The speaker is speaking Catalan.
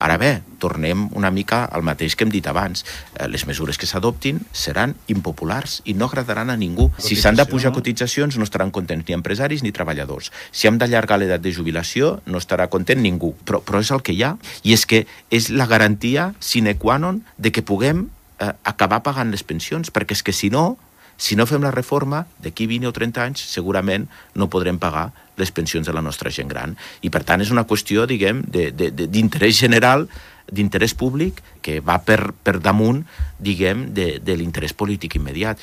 Ara bé, tornem una mica al mateix que hem dit abans. Les mesures que s'adoptin seran impopulars i no agradaran a ningú. Si s'han de pujar cotitzacions, no estaran contents ni empresaris ni treballadors. Si hem d'allargar l'edat de jubilació, no estarà content ningú. Però és el que hi ha. I és que és la garantia sine qua non de que puguem acabar pagant les pensions, perquè és que si no fem la reforma, d'aquí 20 o 30 anys segurament no podrem pagar les pensions de la nostra gent gran. I per tant és una qüestió, diguem, d'interès general, d'interès públic, que va per damunt, diguem, de l'interès polític immediat.